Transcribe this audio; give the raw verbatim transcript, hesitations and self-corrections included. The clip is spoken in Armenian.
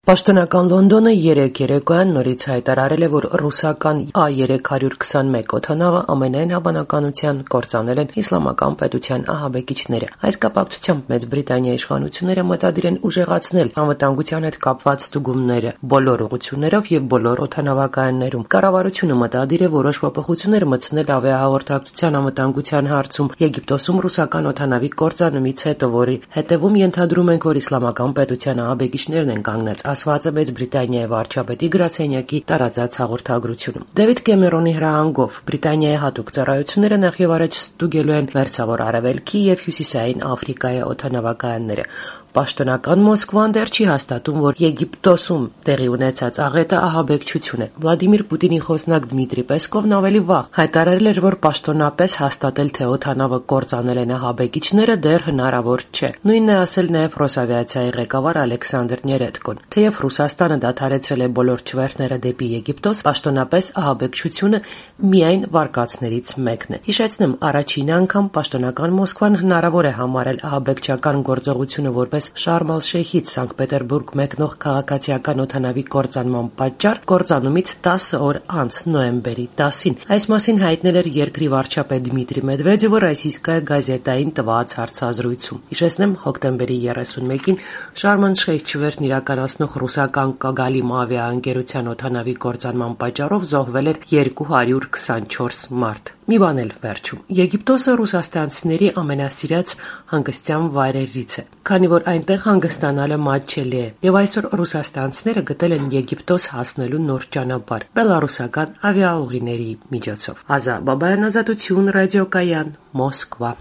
Պաշտոնական Լոնդոնը երեկ երեկոյան նորից հայտարարել է, որ ռուսական A երեք քսանմեկ օդանավը ամենայն հավանականության կործանել են իսլամական պետության ահաբեկիչները։ Այս կապակցությամբ Մեծ Բրիտանիայի իշխանությունները մտադիր են ուժեղացնել անվտանգության հետ կապված ստուգումները բոլոր ուղղություններով եւ բոլոր օդանավակայաններում։ Կառավարությունը մտադիր է որոշ փոփոխություններ մտցնել ավիահաղորդակցության անվտանգության հարցում Եգիպտոսում ռուսական օդանավի կործանումից հետո, որի հետևում ենթադրում ենք, որ իսլամական պետության ահաբեկիչներն են կանգնած, ասված է Մեծ Բրիտանիայի վարչապետի գրասենյակի տարածած հաղորդագրությունում։ Դեվիդ Կեմերոնի հրահանգով Բրիտանիայի հատուկ ծառայությունները նախ եւ առաջ ստուգելու են Մերձավոր Արևելքի եւ Հյուսիսային Աֆրիկայի օդանավակայանները։ Պաշտոնական Մոսկվան դեռ չի հաստատում, որ Եգիպտոսում տեղի ունեցած աղետը ահաբեկչություն է։ Վլադիմիր Պուտինի խոսնակ Դմիտրի Պեսկովն ավելի վաղ հայտարարել էր, որ պաշտոնապես հաստատել, թե օդանավը կործանել են ահաբեկիչները, դեռ հնարավոր չէ։ Նույնն է ասել նաև Ռոսավիացիայի ղեկավար Ալեքսանդր Ներեդկոն։ Թեև Ռուսաստանը դադարեցրել է բոլոր չվերթները դեպի Եգիպտոս, պաշտոնապես ահաբեկչությունը միայն վարկածներից մեկն է։ Հիշեցնեմ, առաջին անգամ պաշտոնական Մոսկվան հնարավոր է համարել ահաբեկչական գործողությունը որպես Շարմ ալ-Շեյխից Սանկտ Պետերբուրգ մեկնող քաղաքացիական օդանավի կործանման պատճառ կործանումից տասը օր անց նոյեմբերի տասին։ Այս մասին հայտնել էր երկրի վարչապետ Դմիտրի Մեդվեդևը Ռոսիյսկայա գազետային տված հարցազրույցում։ Հիշեցնեմ, հոկտեմբերի երեսունմեկին Շարմ ալ-Շեյխ չվերթն իրականացնող ռուսական Կագալիմ ավիաընկերության օդանավի կործանման պատճառով զոհվել էր երկու հարյուր քսանչորս մարդ։ Մի բան էլ վերջում։ Եգիպտոսը ռուսաստանցիների ամենասիրած հանգստյան վայրերից է, քանի որ այնտեղ հանգստանալը մատչելի է, եւ այսօր ռուսաստանցիները գտել են Եգիպտոս հասնելու նոր ճանապարհ բելառուսական ավիաուղիների միջոցով։ Ազա Բաբայան, Ազատություն, ռադիոկայան, Մոսկվա։